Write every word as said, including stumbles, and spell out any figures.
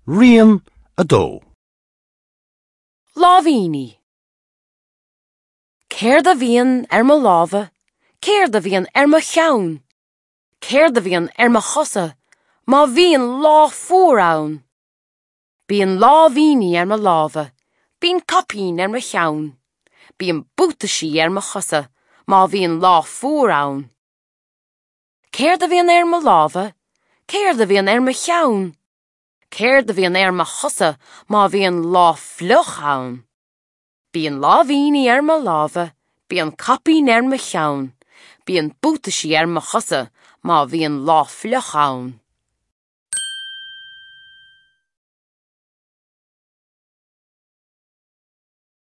Rian a dó. Láimhíní. Céard a bhíonn ar mo lámha, céard a bhíonn ar mo cheann? Céard a bhíonn ar mo chosa má bhíonn lá fuar ann? Bíonn láimhíní ar mo lámha, bíonn caipín ar mo cheann, bíonn buataisí ar mo chosa má bhíonn lá fuar ann. Céard a bhíonn ar mo lámha, céard a bhíonn ar mo cheann? Céard a bhíonn ar mo chosa má bhíonn lá fliuch ann? Bíonn láimhíní ar mo lámha, bíonn caipín ar mo cheann, bíonn buataisí ar mo chosa má bhíonn lá fliuch ann.